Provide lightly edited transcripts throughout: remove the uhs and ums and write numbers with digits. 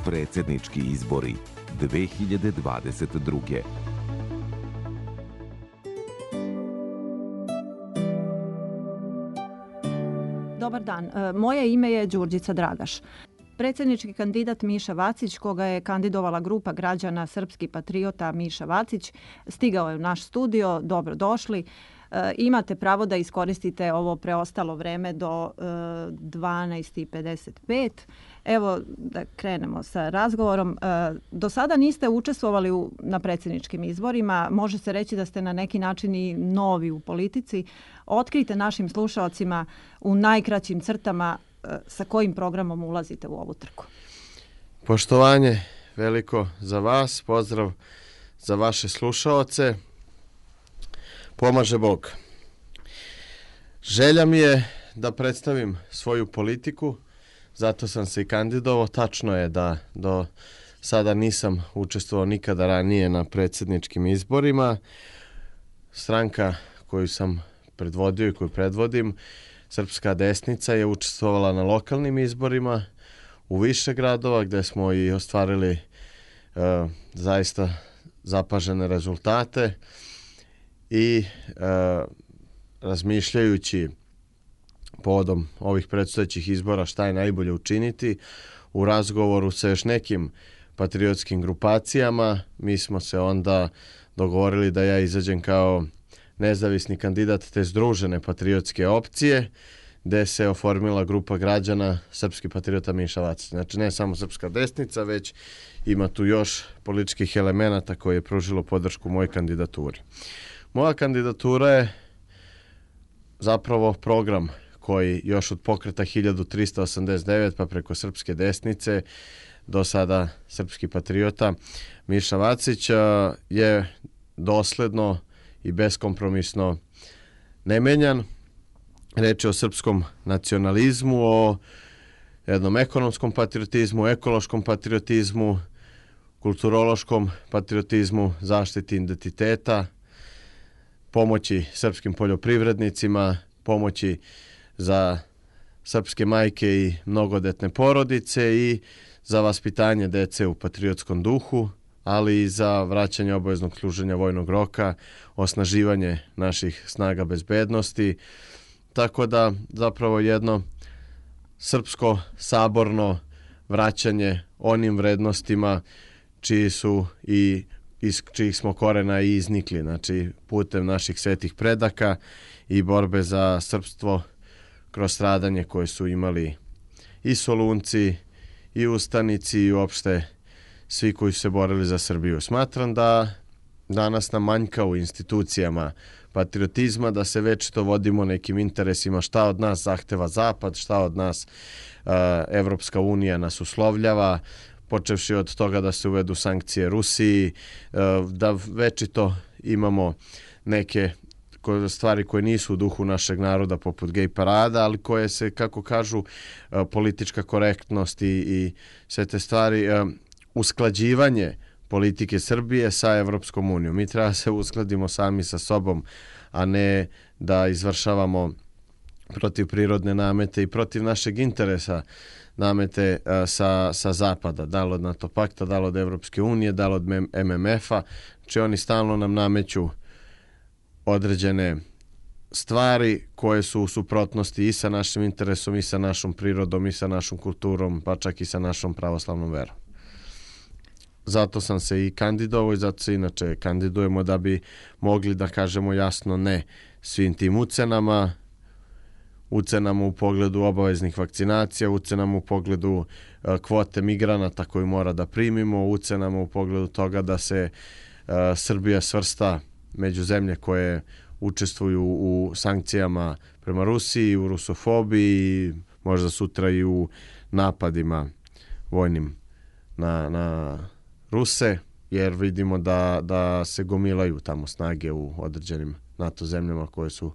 Predsjednički izbori 2022. Dobar dan, moje ime je Đurđica Dragaš. Predsjednički kandidat Miša Vacić, koga je kandidovala grupa građana Srpski patriota Miša Vacić, stigao je u naš studio. Dobro došli. Imate pravo da iskoristite ovo preostalo vreme do 12:55. Evo da krenemo sa razgovorom. Do sada niste učestvovali na predsjedničkim izborima. Može se reći da ste na neki način i novi u politici. Otkrite našim slušalcima u najkraćim crtama sa kojim programom ulazite u ovu trku. Poštovanje veliko za vas, pozdrav za vaše slušaoce. Pomaže Bog. Želja mi je da predstavim svoju politiku, zato sam se i kandidovao. Tačno je da do sada nisam učestvovao nikada ranije na predsjedničkim izborima. Stranka koju sam predvodio i koju predvodim, Srpska desnica, je učestvovala na lokalnim izborima u više gradova gdje smo i ostvarili zaista zapažene rezultate. I razmišljajući povodom ovih predstojećih izbora šta je najbolje učiniti, u razgovoru sa još nekim patriotskim grupacijama, mi smo se onda dogovorili da ja izađem kao nezavisni kandidat te združene patriotske opcije, gde se oformila grupa građana Srpski patriota Miša Vacić. Znači ne samo Srpska desnica, već ima tu još političkih elemenata koje je pružilo podršku mojoj kandidaturi. Moja kandidatura je zapravo program koji još od pokreta 1389 pa preko Srpske desnice do sada Srpski patriota Miša Vacić je dosledno i beskompromisno nemenjan. Reč je o srpskom nacionalizmu, o jednom ekonomskom patriotizmu, ekološkom patriotizmu, kulturološkom patriotizmu, zaštiti identiteta, pomoći srpskim poljoprivrednicima, pomoći za srpske majke i mnogodetne porodice i za vaspitanje dece u patriotskom duhu, ali i za vraćanje obaveznog služenja vojnog roka, osnaživanje naših snaga bezbednosti. Tako da zapravo jedno srpsko saborno vraćanje onim vrednostima čiji su i iz čijih smo korena i iznikli, znači putem naših svetih predaka i borbe za srpstvo kroz stradanje koje su imali i Solunci, i ustanici, i uopšte svi koji su se borili za Srbiju. Smatram da danas nam manjka u institucijama patriotizma, da se večito vodimo nekim interesima šta od nas zahteva Zapad, šta od nas Evropska unija nas uslovljava, počevši od toga da se uvedu sankcije Rusiji, da večito imamo neke stvari koje nisu u duhu našeg naroda poput gej parada, ali koje se, kako kažu, politička korektnost i sve te stvari, usklađivanje politike Srbije sa Evropskom unijom. Mi treba se uskladimo sami sa sobom, a ne da izvršavamo protiv prirodne namete i protiv našeg interesa namete sa Zapada, da li od NATO pakta, da li od Evropske unije, da li od MMF-a. Znači oni stalno nam nameću određene stvari koje su u suprotnosti i sa našim interesom, i sa našom prirodom, i sa našom kulturom, pa čak i sa našom pravoslavnom verom. Zato sam se i kandidovao i zato se inače kandidujemo da bi mogli da kažemo jasno ne svim tim ucenama u pogledu obaveznih vakcinacija, ucenama u pogledu kvote migranata koju mora da primimo, ucenama u pogledu toga da se Srbija svrsta među zemlje koje učestvuju u sankcijama prema Rusiji, u rusofobiji, možda sutra i u napadima vojnim na Ruse, jer vidimo da se gomilaju tamo snage u određenim NATO zemljama koje su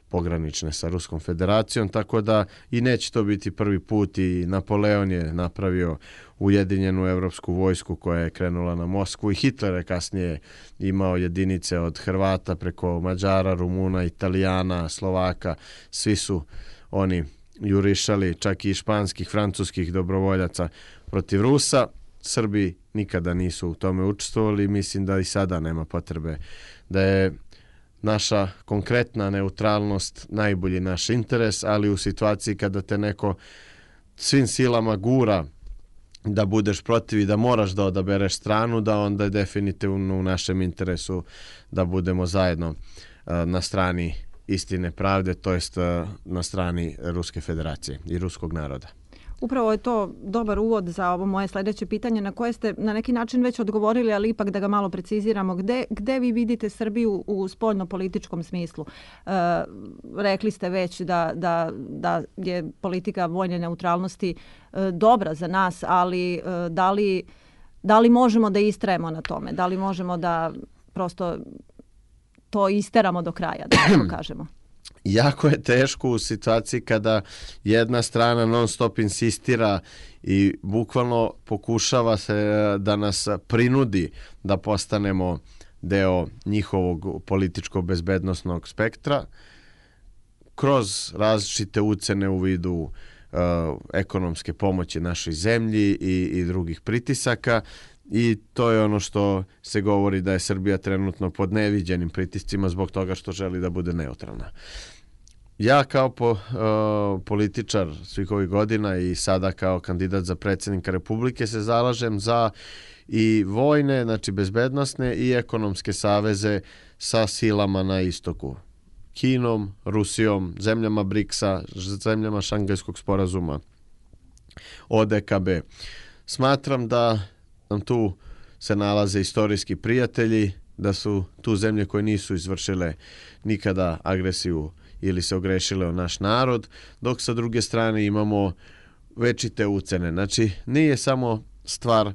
pogranične sa Ruskom federacijom, tako da i neće to biti prvi put. I Napoleon je napravio ujedinjenu evropsku vojsku koja je krenula na Moskvu i Hitler je kasnije imao jedinice od Hrvata preko Mađara, Rumuna, Italijana, Slovaka, svi su oni jurišali, čak i španskih, francuskih dobrovoljaca protiv Rusa. Srbi nikada nisu u tome učestvovali, mislim da i sada nema potrebe, da je naša konkretna neutralnost najbolji naš interes, ali u situaciji kada te neko svim silama gura da budeš protiv i da moraš da odabereš stranu, da onda je definitivno u našem interesu da budemo zajedno na strani istine, pravde, to jest na strani Ruske federacije i ruskog naroda. Upravo je to dobar uvod za ovo moje sljedeće pitanje na koje ste na neki način već odgovorili, ali ipak da ga malo preciziramo. Gde vi vidite Srbiju u spoljno-političkom smislu? Rekli ste već da je politika vojne neutralnosti dobra za nas, ali da li možemo da istrajemo na tome? Da li možemo da prosto to isteramo do kraja, da tako kažemo? Jako je teško u situaciji kada jedna strana non stop insistira i bukvalno pokušava se da nas prinudi da postanemo deo njihovog političko-bezbednosnog spektra kroz različite ucene u vidu ekonomske pomoći našoj zemlji i drugih pritisaka. I to je ono što se govori da je Srbija trenutno pod neviđenim pritiscima zbog toga što želi da bude neutralna. Ja kao političar svih ovih godina i sada kao kandidat za predsjednika Republike se zalažem za i vojne, znači bezbednosne i ekonomske saveze sa silama na istoku. Kinom, Rusijom, zemljama BRICS-a, zemljama Šangajskog sporazuma, ODKB. Smatram da nam tu se nalaze istorijski prijatelji, da su tu zemlje koje nisu izvršile nikada agresiju ili se ogrešile o naš narod, dok sa druge strane imamo večite ucene. Znači, nije samo stvar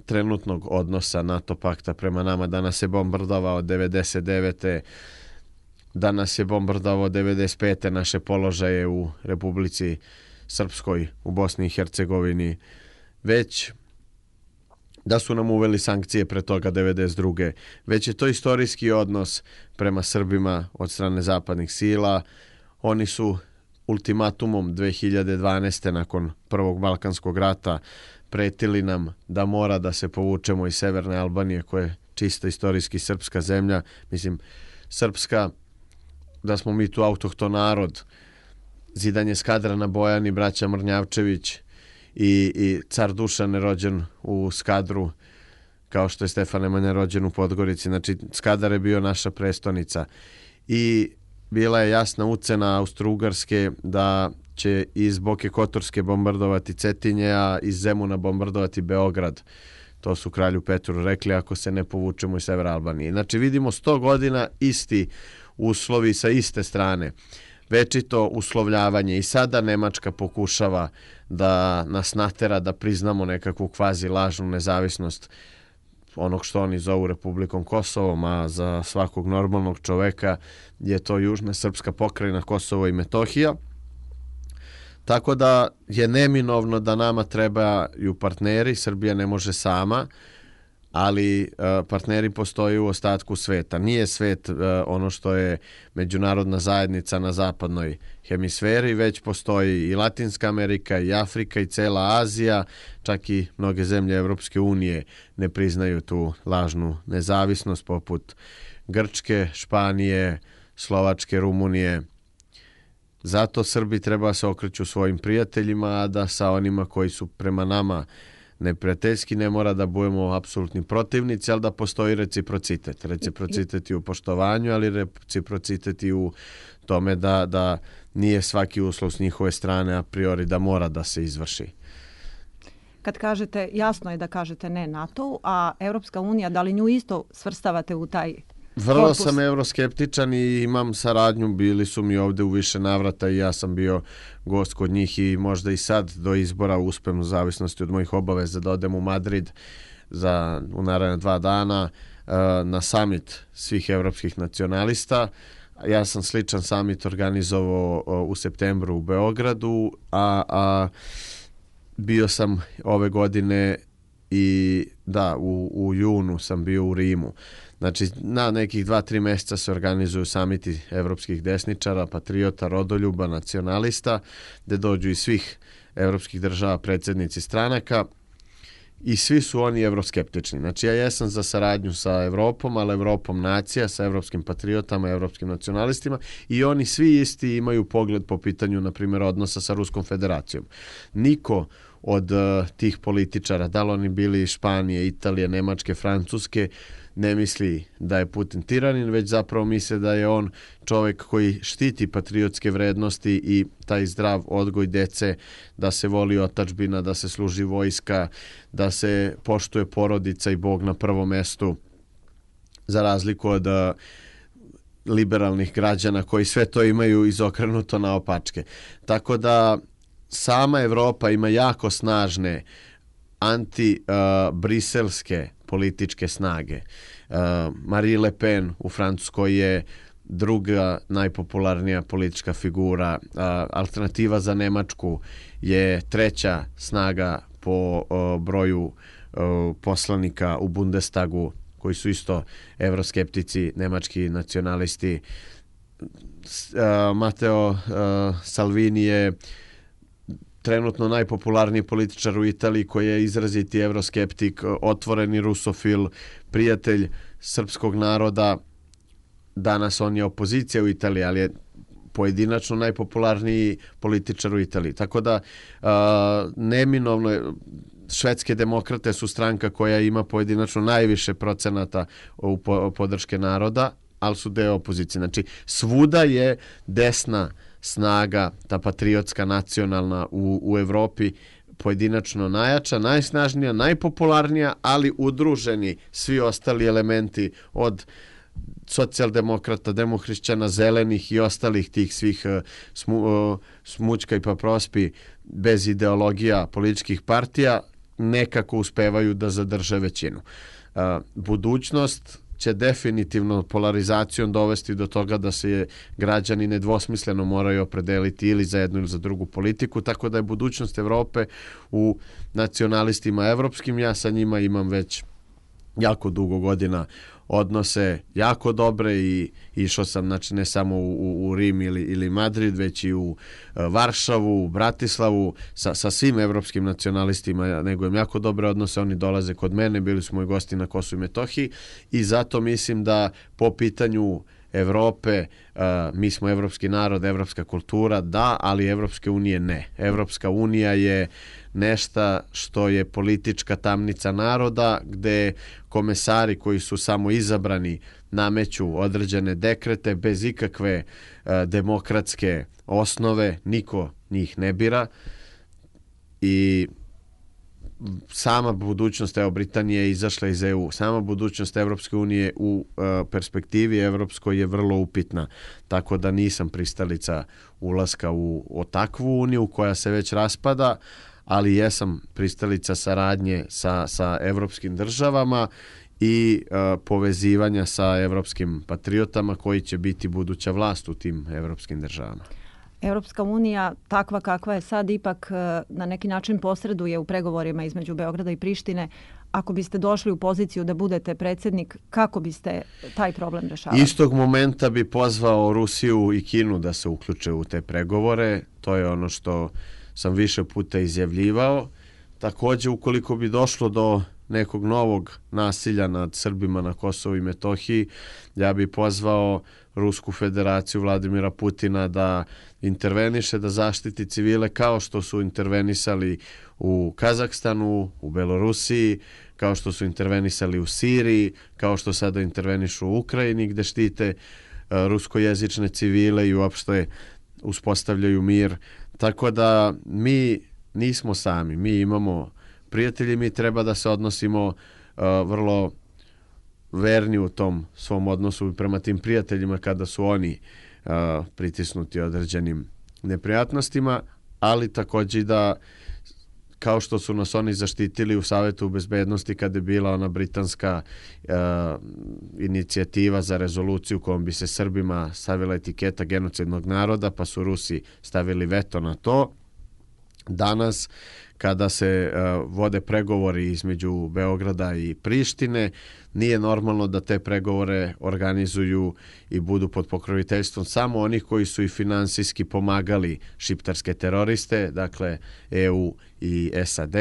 trenutnog odnosa NATO pakta prema nama, da nas je bombardovao 99. da nas je bombardovao 95. naše položaje u Republici Srpskoj, u Bosni i Hercegovini, već da su nam uveli sankcije pre toga 92. Već je to istorijski odnos prema Srbima od strane zapadnih sila. Oni su ultimatumom 2012. nakon Prvog Balkanskog rata pretili nam da mora da se povučemo iz Severne Albanije, koja je čista istorijski srpska zemlja. Mislim, srpska, da smo mi tu autohton narod, zidanje Skadra na Bojani, braća Mrnjavčević, i car Dušan je rođen u Skadru, kao što je Stefan Nemanja rođen u Podgorici. Znači, Skadar je bio naša prestonica. I bila je jasna ucena Austro-Ugarske da će iz Boke Kotorske bombardovati Cetinje, a iz Zemuna bombardovati Beograd. To su kralju Petru rekli ako se ne povučemo iz Severne Albanije. Znači, vidimo 100 godina isti uslovi sa iste strane. Večito uslovljavanje i sada Nemačka pokušava da nas natera da priznamo nekakvu kvazi lažnu nezavisnost onog što oni zovu Republikom Kosovom, a za svakog normalnog čoveka je to južna srpska pokrajina Kosovo i Metohija. Tako da je neminovno da nama trebaju partneri, Srbija ne može sama, ali partneri postoji u ostatku sveta. Nije svet ono što je međunarodna zajednica na zapadnoj hemisferi, već postoji i Latinska Amerika, i Afrika, i cela Azija, čak i mnoge zemlje Evropske unije ne priznaju tu lažnu nezavisnost, poput Grčke, Španije, Slovačke, Rumunije. Zato Srbi treba se okreću svojim prijateljima, a da sa onima koji su prema nama neprijateljski ne mora da budemo apsolutni protivnici, ali da postoji reciprocitet. Reciprocitet i u poštovanju, ali reciprocitet i u tome da nije svaki uslov s njihove strane a priori da mora da se izvrši. Kad kažete, jasno je da kažete ne NATO, a Europska unija, da li nju isto svrstavate u taj Vrlo sam euroskeptičan i imam saradnju, bili su mi ovdje u više navrata i ja sam bio gost kod njih i možda i sad do izbora uspem u zavisnosti od mojih obaveza da odem u Madrid u naredne 2 dana na summit svih evropskih nacionalista. Ja sam sličan summit organizovao u septembru u Beogradu, a bio sam ove godine i u junu sam bio u Rimu. Znači, na nekih 2-3 mjeseca se organizuju samiti evropskih desničara, patriota, rodoljuba, nacionalista, gdje dođu iz svih evropskih država predsjednici stranaka i svi su oni evroskeptični. Znači ja jesam za saradnju sa Evropom, ali Evropom nacija, sa evropskim patriotama, evropskim nacionalistima i oni svi isti imaju pogled po pitanju, na primjer, odnosa sa Ruskom federacijom. Niko od tih političara, da li oni bili iz Španije, Italije, Nemačke, Francuske, ne misli da je Putin tiranin, već zapravo misle da je on čovjek koji štiti patriotske vrednosti i taj zdrav odgoj dece, da se voli otadžbina, da se služi vojska, da se poštuje porodica i Bog na prvom mestu, za razliku od liberalnih građana koji sve to imaju izokrenuto naopačke. Tako da sama Evropa ima jako snažne anti-briselske političke snage. Marine Le Pen u Francuskoj je druga najpopularnija politička figura. Alternativa za Nemačku je treća snaga po broju poslanika u Bundestagu, koji su isto evroskeptici, nemački nacionalisti. Matteo Salvini je trenutno najpopularniji političar u Italiji, koji je izraziti evroskeptik, otvoreni rusofil, prijatelj srpskog naroda. Danas on je opozicija u Italiji, ali je pojedinačno najpopularniji političar u Italiji. Tako da neminovno švedske demokrate su stranka koja ima pojedinačno najviše procenata u podrške naroda, ali su deo opozicije. Znači svuda je desna snaga, ta patriotska, nacionalna u Evropi pojedinačno najjača, najsnažnija, najpopularnija, ali udruženi svi ostali elementi od socijaldemokrata, demohrišćana, zelenih i ostalih tih svih smućka i paprospi bez ideologija političkih partija nekako uspevaju da zadrže većinu. Budućnost će definitivno polarizacijom dovesti do toga da se građani nedvosmisleno moraju opredeliti ili za jednu ili za drugu politiku, tako da je budućnost Evrope u nacionalistima evropskim. Ja sa njima imam već jako dugo godina odnose jako dobre i išao sam, znači, ne samo u Rim ili Madrid, već i u Varšavu, u Bratislavu, sa svim evropskim nacionalistima negujem jako dobre odnose. Oni dolaze kod mene, bili su moji gosti na Kosovu i Metohiji i zato mislim da po pitanju Evrope, mi smo evropski narod, evropska kultura, da, ali Evropske unije ne. Evropska unija je nešto što je politička tamnica naroda, gde komesari koji su samo izabrani nameću određene dekrete bez ikakve demokratske osnove, niko njih ne bira i sama budućnost, evo, Britanije je izašla iz EU, sama budućnost Evropske unije u perspektivi evropskoj je vrlo upitna, tako da nisam pristalica ulaska u takvu uniju koja se već raspada, ali jesam pristalica saradnje sa evropskim državama i povezivanja sa evropskim patriotama koji će biti buduća vlast u tim evropskim državama. Europska unija, takva kakva je sad, ipak na neki način posreduje u pregovorima između Beograda i Prištine. Ako biste došli u poziciju da budete predsjednik, kako biste taj problem rešavali? Istog momenta bi pozvao Rusiju i Kinu da se uključe u te pregovore. To je ono što sam više puta izjavljivao. Također, ukoliko bi došlo do nekog novog nasilja nad Srbima na Kosovu i Metohiji, ja bi pozvao Rusku federaciju, Vladimira Putina, da interveniše, da zaštiti civile kao što su intervenisali u Kazahstanu, u Belorusiji, kao što su intervenisali u Siriji, kao što sada intervenišu u Ukrajini, gde štite ruskojezične civile i uopšte uspostavljaju mir. Tako da mi nismo sami, mi imamo prijatelji, mi treba da se odnosimo vrlo verni u tom svom odnosu prema tim prijateljima kada su oni pritisnuti određenim neprijatnostima, ali također da, kao što su nas oni zaštitili u Savetu bezbednosti kada je bila ona britanska inicijativa za rezoluciju kojom bi se Srbima stavila etiketa genocidnog naroda, pa su Rusi stavili veto na to. Danas, kada se vode pregovori između Beograda i Prištine, nije normalno da te pregovore organizuju i budu pod pokroviteljstvom samo onih koji su i finansijski pomagali šiptarske teroriste, dakle EU i SAD,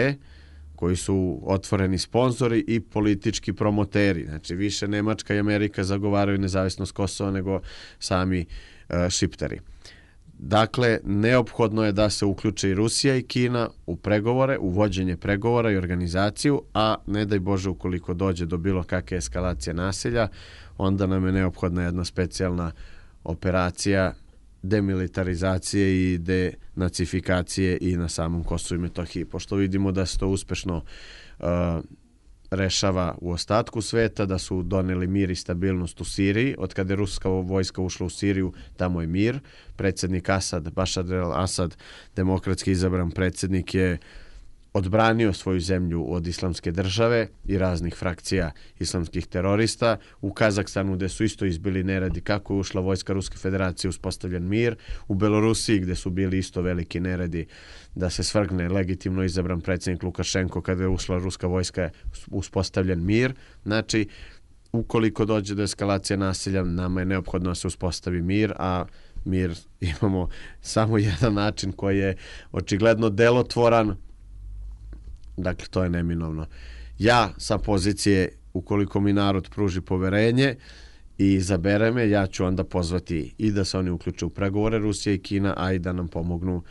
koji su otvoreni sponzori i politički promoteri. Znači više Nemačka i Amerika zagovaraju nezavisnost Kosova nego sami šiptari. Dakle, neophodno je da se uključe i Rusija i Kina u pregovore, u vođenje pregovora i organizaciju, a ne daj Bože ukoliko dođe do bilo kakve eskalacije nasilja, onda nam je neophodna jedna specijalna operacija demilitarizacije i denacifikacije i na samom Kosovu i Metohiji. Pošto vidimo da se to uspešno rešava u ostatku sveta, da su doneli mir i stabilnost u Siriji. Od kada je ruska vojska ušla u Siriju, tamo je mir. Predsjednik Asad, Bašar al-Asad, demokratski izabran predsjednik, je odbranio svoju zemlju od islamske države i raznih frakcija islamskih terorista. U Kazahstanu, gde su isto izbili neredi kako je ušla vojska Ruske federacije, uspostavljen mir. U Belorusiji, gde su bili isto veliki neredi da se svrgne legitimno izabran predsjednik Lukašenko, kada je ušla ruska vojska, uspostavljen mir. Znači, ukoliko dođe do eskalacije nasilja, nama je neophodno da se uspostavi mir, a mir imamo samo jedan način koji je očigledno delotvoran. Dakle, to je neminovno. Ja sa pozicije, ukoliko mi narod pruži poverenje i izabere me, ja ću onda pozvati i da se oni uključe u pregovore Rusija i Kina, a i da nam pomognu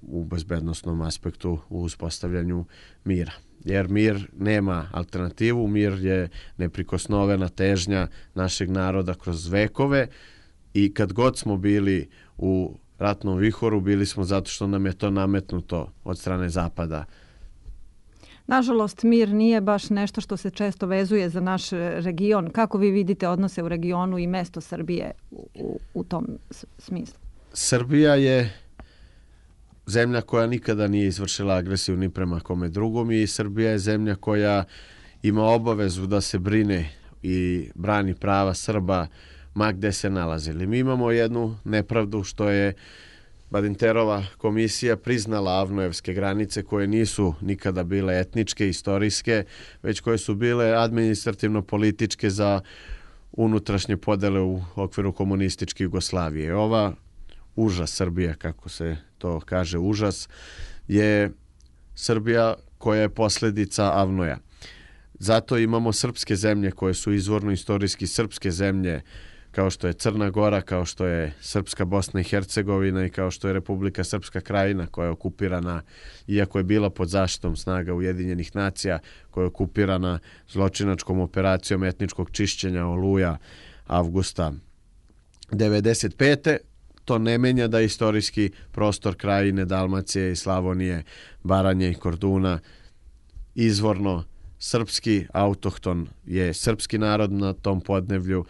u bezbednosnom aspektu u uspostavljanju mira. Jer mir nema alternativu, mir je neprikosnovena težnja našeg naroda kroz vekove i kad god smo bili u ratnom vihoru, bili smo zato što nam je to nametnuto od strane Zapada. Nažalost, mir nije baš nešto što se često vezuje za naš region. Kako vi vidite odnose u regionu i mesto Srbije u tom smislu? Srbija je zemlja koja nikada nije izvršila agresiju ni prema kome drugom i Srbija je zemlja koja ima obavezu da se brine i brani prava Srba ma gde se nalazili. Mi imamo jednu nepravdu što je Badinterova komisija priznala avnojevske granice koje nisu nikada bile etničke, istorijske, već koje su bile administrativno-političke za unutrašnje podele u okviru komunističke Jugoslavije. Ova užas Srbija, kako se to kaže, užas, je Srbija koja je posljedica avnoja. Zato imamo srpske zemlje koje su izvorno istorijski srpske zemlje, kao što je Crna Gora, kao što je Srpska Bosna i Hercegovina i kao što je Republika Srpska Krajina koja je okupirana, iako je bila pod zaštitom snaga Ujedinjenih nacija, koja je okupirana zločinačkom operacijom etničkog čišćenja Oluja avgusta 1995. To ne menja da istorijski prostor Krajine, Dalmacije i Slavonije, Baranje i Korduna izvorno srpski, autohton je srpski narod na tom podneblju.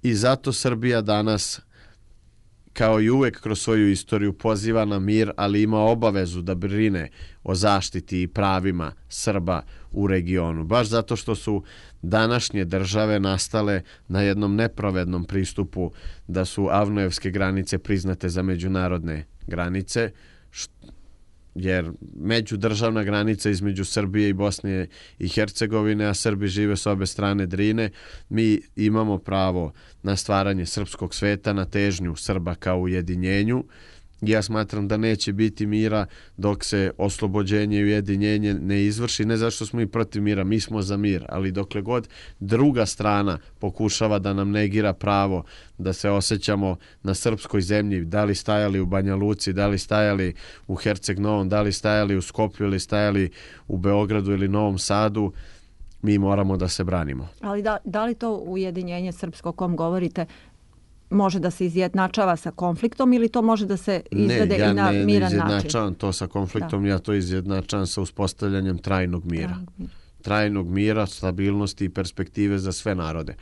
I zato Srbija danas, kao i uvek kroz svoju istoriju, poziva na mir, ali ima obavezu da brine o zaštiti i pravima Srba u regionu. Baš zato što su današnje države nastale na jednom nepravednom pristupu da su avnojevske granice priznate za međunarodne granice, jer međudržavna granica između Srbije i Bosne i Hercegovine, a Srbi žive s obe strane Drine, mi imamo pravo na stvaranje srpskog sveta, na težnju Srba kao ujedinjenju. Ja smatram da neće biti mira dok se oslobođenje i ujedinjenje ne izvrši, ne zašto smo i protiv mira, mi smo za mir, ali dokle god druga strana pokušava da nam negira pravo da se osjećamo na srpskoj zemlji, da li stajali u Banja Luci, da li stajali u Herceg Novom, da li stajali u Skoplju ili stajali u Beogradu ili Novom Sadu, mi moramo da se branimo. Ali da li to ujedinjenje srpsko o kom govorite može da se izjednačava sa konfliktom ili to može da se izvede i na miran način? Ne, ja ne izjednačavam to sa konfliktom, ja to izjednačavam sa uspostavljanjem trajnog mira. Trajnog mira, stabilnosti i perspektive za sve narode.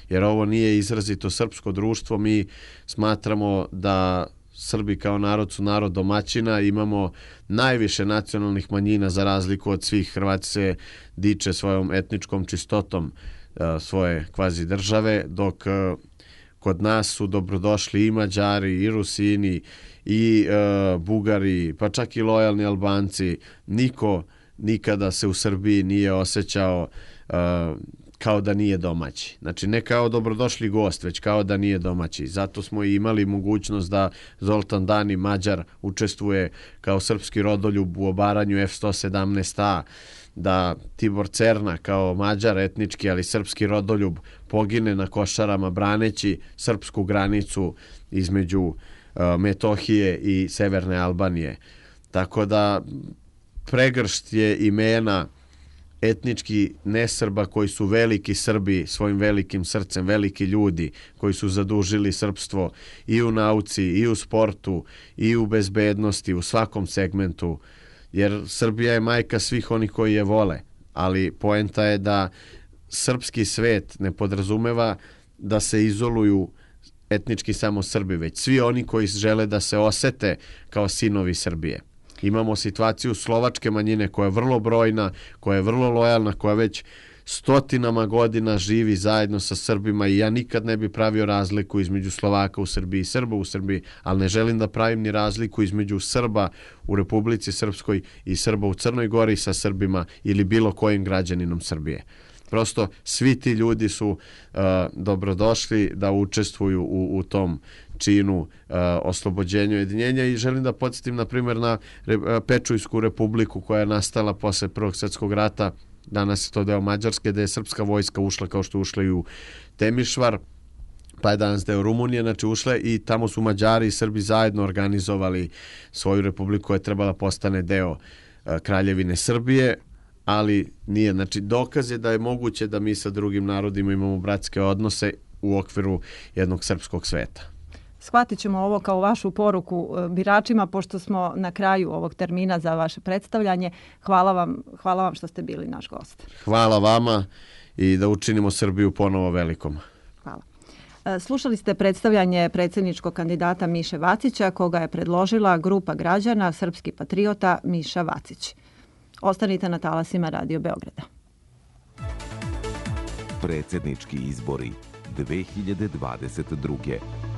Jer ovo nije izrazito srpsko društvo, mi smatramo da Srbi kao narod su narod domaćina, imamo najviše nacionalnih manjina za razliku od svih. Hrvati se diče svojom etničkom čistotom svoje kvazi države, dok kod nas su dobrodošli i Mađari, i Rusini, i Bugari, pa čak i lojalni Albanci. Niko nikada se u Srbiji nije osjećao kao da nije domaći. Znači ne kao dobrodošli gost, već kao da nije domaći. Zato smo i imali mogućnost da Zoltan Dani, Mađar, učestvuje kao srpski rodoljub u obaranju F-117A, da Tibor Cerna kao Mađar etnički, ali srpski rodoljub pogine na Košarama braneći srpsku granicu između Metohije i Severne Albanije. Tako da pregršt je imena etnički nesrba koji su veliki Srbi svojim velikim srcem, veliki ljudi koji su zadužili srpstvo i u nauci, i u sportu, i u bezbednosti, u svakom segmentu, jer Srbija je majka svih onih koji je vole, ali poenta je da srpski svet ne podrazumeva da se izoluju etnički samo Srbi, već svi oni koji žele da se osete kao sinovi Srbije. Imamo situaciju slovačke manjine koja je vrlo brojna, koja je vrlo lojalna, koja već stotinama godina živi zajedno sa Srbima i ja nikad ne bi pravio razliku između Slovaka u Srbiji i Srba u Srbiji, ali ne želim da pravim ni razliku između Srba u Republici Srpskoj i Srba u Crnoj Gori sa Srbima ili bilo kojim građaninom Srbije. Prosto svi ti ljudi su dobrodošli da učestvuju u tom činu oslobođenja i ujedinjenja i želim da podsjetim na primjer na Pečujsku republiku koja je nastala posle Prvog svjetskog rata. Danas je to deo Mađarske, da je srpska vojska ušla kao što ušla i u Temišvar, pa je danas deo Rumunije, znači ušle i tamo su Mađari i Srbi zajedno organizovali svoju republiku koja je trebala postane deo Kraljevine Srbije, ali nije. Znači dokaz je da je moguće da mi sa drugim narodima imamo bratske odnose u okviru jednog srpskog sveta. Shvatit ćemo ovo kao vašu poruku biračima, pošto smo na kraju ovog termina za vaše predstavljanje. Hvala vam što ste bili naš gost. Hvala vama i da učinimo Srbiju ponovo velikom. Hvala. Slušali ste predstavljanje predsjedničkog kandidata Miše Vacića, koga je predložila grupa građana Srpski patriota Miša Vacić. Ostanite na talasima Radio Beograda. Predsjednički izbori 2022.